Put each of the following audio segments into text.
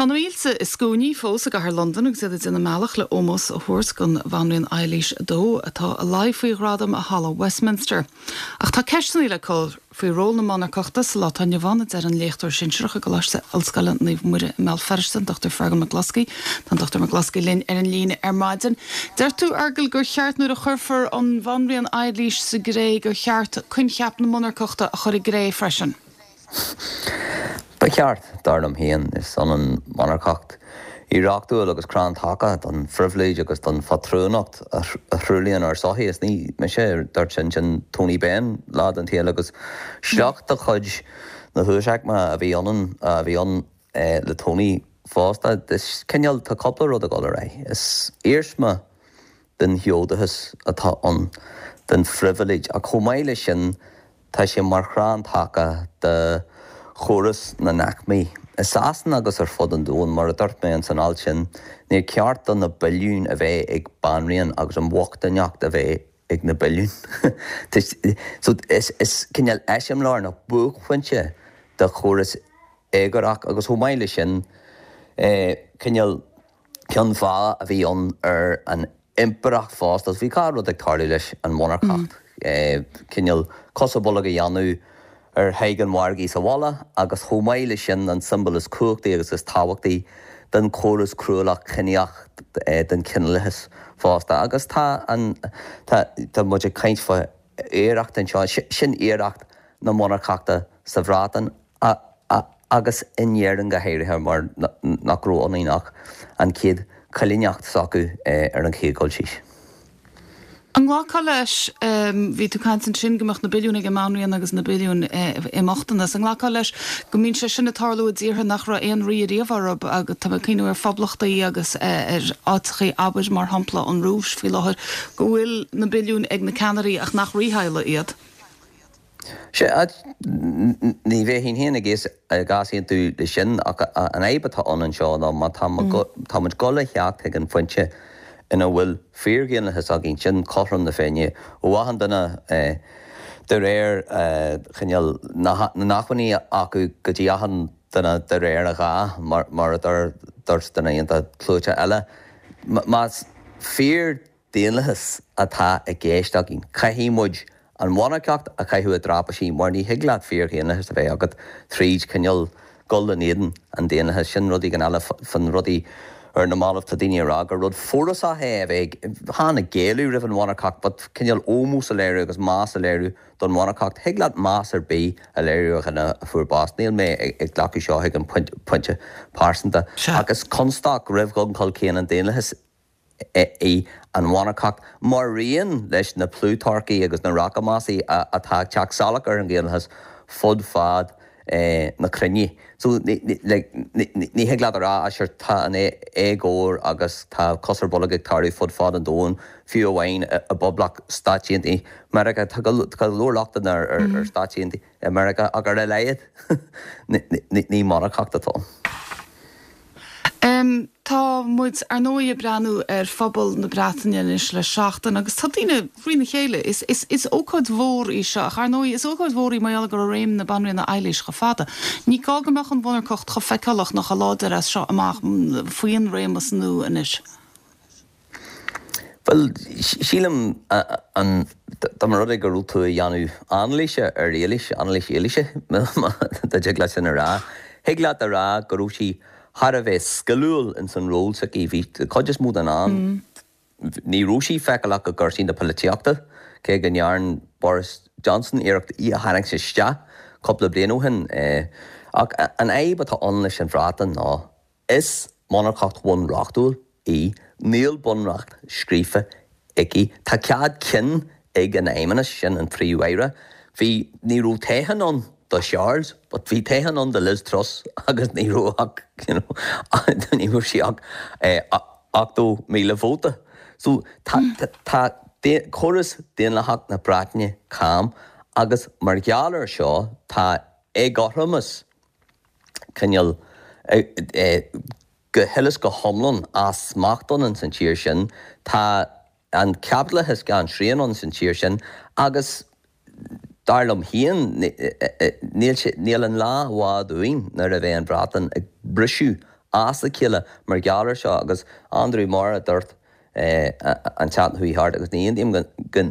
Tá na mílte i scuainí fós i gcathair Londan agus iad ag déanamh a mbealach le ómós a thabhairt don Bhanríon Eilís II atá i láthair faoi ghradam i Halla Westminster. Ach tá ceisteanna le cur faoi ról na monarcachta sa lá atá inniu ann, a deir an léachtóir sinsearach i gColáiste Ollscoile Naomh Muire i mBéal Feirste, an Dr Fergal McCloskey. Tá an Dr McCloskey linn ar an líne ar maidin. Deir tú, Fheargail, gur cheart nuair a chuirfear an Bhanríon Eilís sa gcré gur cheart coincheap na monarcachta a chur i gcré freisin. Ba cheart, dar liom féin. Is ionann monarcacht oidhreachtúil agus crann taca don phribhléid agus don phátrúnacht a thruaillíonn ár sochaí. Is ní mise a dúirt sin, sin Tony Benn lá den tsaol agus sliocht de chuid na huasaicme a bhí ionann, a bhí ann le Tony fosta. Is cineál, tá cúpla rud ag dul ar aghaidh. Is iarsma den fheodachas atá ann, den phribhléid, ach chomh maith leis sin, Tá sé mar chrann taca do chóras na n-aicmí. I Sasana agus ar fud an domhain, mar a dúirt mé ins an alt sin, níor cheart do na billiúin a bheith ag banríon agus an bhochtaineacht a bheith ag na billiúin. So is cineál eiseamláir nó buaicphointe de chóras éagórach agus chomh maith leis sin, cineál ceann feadhna a bhí ann ar an impireacht fosta. Bhí dhá rud ag tarlú leis an mhonarcacht, cineál cos ar bolg a dhéanamh ar Thadhg an Mhargaidh sa bhaile agus chomh maith leis sin an tsiombail is cumhachtaí agus is tábhachtaí den chóras cruálach ciníoch den chineálathas fosta. Agus tá an, tá, tá muid ag caint fá oidhreacht anseo, sin oidhreacht na monarcachta sa Bhreatain. agus in Éirinn go háirithe mar nach raibh ionainn ach an chéad choilíneacht s'acu ar an chéad dul síos. An nglacfá leis, bhí tú ag caint ansin go mbeadh na billiúin ag an mBanríon agus na billiúin i mbochtanas, an nglacfá leis go mbíonn sé sin ag tarlú i dtíortha nach raibh aon rí ariamh orthu, agus tá mé ag cuimhniú ar phoblachtaí agus ar áiteachaí, abair mar shampla an Rúis faoi láthair, go bhfuil na billiúin ag na ceannairí ach nach rítheaghlaigh iad? Sea, ní bheinn féin ag easaontú leis sin, ach an fhadhb atá ann anseo ná má tá muid ag dul a theacht chuig an phointe ina bhfuil fíordhaonlathas againn, sin cothrom na Féinne ó achan duine de réir chineál na n-acmhainní acu go dtí achan duine de réir a ghá, mar a dúirt duine iontach clúiteach eile. Más fíor daonlathas atá i gceist againn. Caithfidh muid an mhonarcacht a chaitheamh i dtraipisí mar ní thig leat fíordhaonlathas a bheith agat tríd cineál dul in éadan an daonlathais. Sin rud éigin eile fan rudaí ar na mallaibh tá daoine ag rá gur rud forásach é a bheith chan ag géilleadh roimh an mhonarcacht but cineál ómós a léiriú agus meas a léiriú don mhonarcacht. Thig leat meas ar bith a léiriú ar dhuine a fuair bás. Níl mé ag glacadh seo chuig an pointe pearsanta ach is constaic roimh dhul chun cinn an daonlathais í an mhonarcacht, maraon leis na plútarcaí agus na rachmasaí atá ag teacht salach ar an dhaonlathas fud fad na cruinne. So, ní thig leat a rá, ah sure, tá an éagóir agus tá cos ar bolg ag tarlú fud fad an domhain, fiú amháin i bPoblacht Stáit Aontaithe Meiriceá. Tá go leor lochtanna ar Stáit Aontaithe Meiriceá ach ar a laghad ní monarcacht atá ann. Tá muid, ar ndóigh, ag breathnú ar phobal na Breataine anois le seachtain agus tá daoine thrína chéile. Is, is, is ócáid mhór í seo ach, ar ndóigh, is ócáid mhór í mar gheall go raibh réim na Banríona Eilís chomh fada. Ní gá go mbeadh an mhonarcacht chomh feiceálach nó chomh láidir as seo amach faoin réimeas nua anois. Bhuel, sílim, an, dá mba rud é go raibh tú ag déanamh anailíse ar Éilís, anailís Éilíse, má dtig leat sin a rá, thig leat a rá go raibh sí thar a bheith sciliúil ins an ról s'aici. Bhí, cuid is mó den am, ní raibh sí feiceálach i gcúrsaí na polaitíochta, cé go ndearn Boris Johnson iarracht í a tharraingt isteach cúpla bliain ó shin. Ach an fhadhb atá ann leis an Bhreatain ná, Is monarcacht bhunreachtúil í, níl bunreacht scríofa aici. Tá cead cinn ag an Fheidhmeannas, sin an Príomh-Aire. Bhí, ní raibh toghchán ann do Charles but bhí toghchán ann do Liz Truss agus ní raibh ach, you know, ní raibh sí ach 80,000 vóta. So tá, tá córas daonlathach na Breataine cam agus mar gheall air seo tá éagothromas cineál go huile is go hiomlán as smacht ann ins an tír sin. Tá an caipitleachas gan srian ann san tír sin agus dar liom féin níl sé, níl an lá i bhfad uainn nuair a bheidh an Bhreatain ag briseadh. as a chéile mar gheall air seo agus Andrew Marr a dúirt an tseachtain a chuaigh thart agus ní aontaím go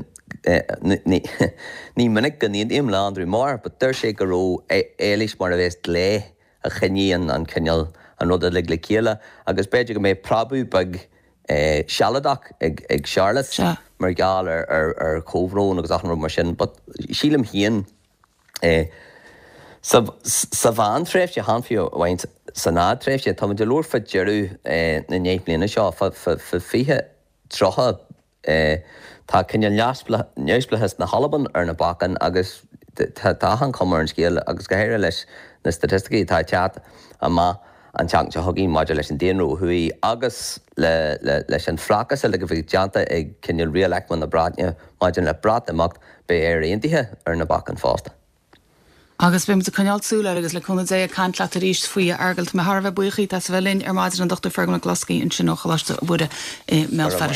ní minic go n-aontaím le Andrew Marr but dúirt sé go raibh Éilís mar a bheas glue a choinnigh an cineál an rud uilig le chéile agus b'fhéidir go mbeidh preabadh beag sealadach ag Charlotte mar gheall ar chomhbhrón agus achan rud mar sin but sílim féin Sa mheántréimhse, chan fiú amháin san fhadtréimhse, táimid ag labhairt fá deireadh na ndeich mbliana seo, fá 20, 30, tá cineál neamhspleáchas na hAlban ar na bacáin agus tá achan chuma ar an scéal, agus go háirithe leis na staitisticí atá ag teacht amach an tseachtain seo chugainn maidir leis an daonra ó thuaidh agus leis an phlacas uilig a bheidh déanta ag cineál rialaicme na Breataine maidir le Breatimeacht, beidh Éire Aontaithe ar na bacáin fosta. Agus beidh muid ag coinneáil súil air agus le cúnamh Dé ag caint leat arís faoi a Fheargail. Tá mé thar a bheith buíoch díot as a bheith linn ar maidin, an Dr Fergal Mac Bhloscaidh ansin ó Choláiste Mhuire i mBéal Feirste.